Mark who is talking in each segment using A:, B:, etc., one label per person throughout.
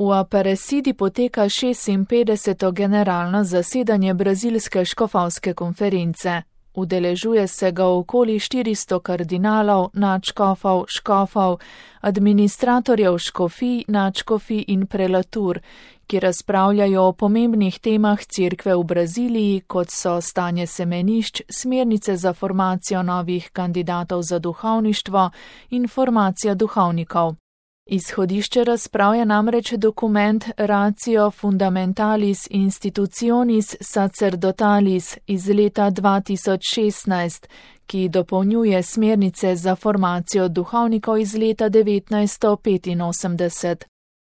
A: V Aparecidi poteka 56. generalno zasedanje brazilske škofovske konference. Udeležuje se ga okoli 400 kardinalov, nadškofov, škofov, administratorjev škofij, nadškofij in prelatur, ki razpravljajo o pomembnih temah cerkve v Braziliji, kot so stanje semenišč, smernice za formacijo novih kandidatov za duhovništvo in formacija duhovnikov. Izhodišče razprav je namreč dokument Ratio Fundamentalis Institutionis Sacerdotalis iz leta 2016, ki dopolnjuje smernice za formacijo duhovnikov iz leta 1985.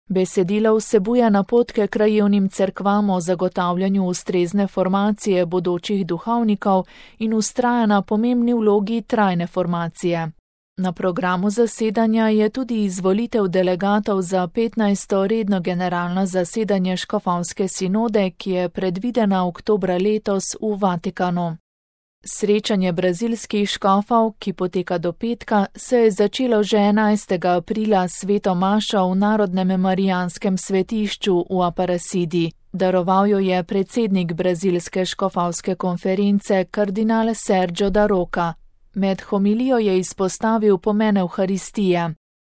A: Besedilo vsebuje napotke krajevnim cerkvam o zagotavljanju ustrezne formacije bodočih duhovnikov in vztraja na pomembni vlogi trajne formacije. Na programu zasedanja je tudi izvolitev delegatov za 15. redno generalno zasedanje škofovske sinode, ki je predvidena oktobra letos v Vatikanu. Srečanje brazilskih škofov, ki poteka do petka, se je začelo že 11. aprila s sveto mašo v Narodnem marijanskem svetišču v Aparecidi. Daroval jo je predsednik brazilske škofovske konference kardinal Sérgio da Roca. Med homilijo je izpostavil pomen Evharistije.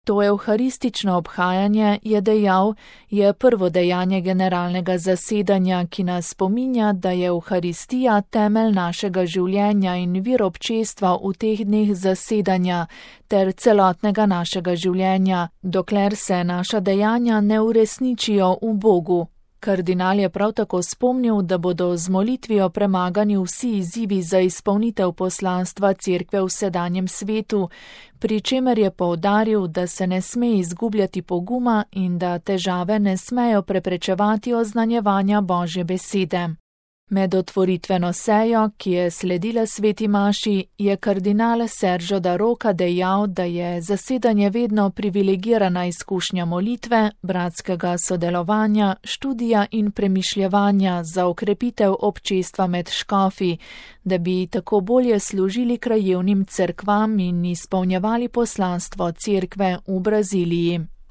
A: To evharistično obhajanje, je dejal, je prvo dejanje generalnega zasedanja, ki nas spominja, da je Evharistija temelj našega življenja in vir občestva v teh dneh zasedanja ter celotnega našega življenja, dokler se naša dejanja ne uresničijo v Bogu. Kardinal je prav tako spomnil, da bodo z molitvijo premagani vsi izzivi za izpolnitev poslanstva cerkve v sedanjem svetu, pri čemer je poudaril, da se ne sme izgubljati poguma in da težave ne smejo preprečevati oznanjevanja Božje besede. Med otvoritveno sejo, ki je sledila sveti maši, je kardinal Sérgio da Roca dejal, da je zasedanje vedno privilegirana izkušnja molitve, bratskega sodelovanja, študija in premišljevanja za okrepitev občestva med škofi, da bi tako bolje služili krajevnim cerkvam in izpolnjevali poslanstvo cerkve v Braziliji.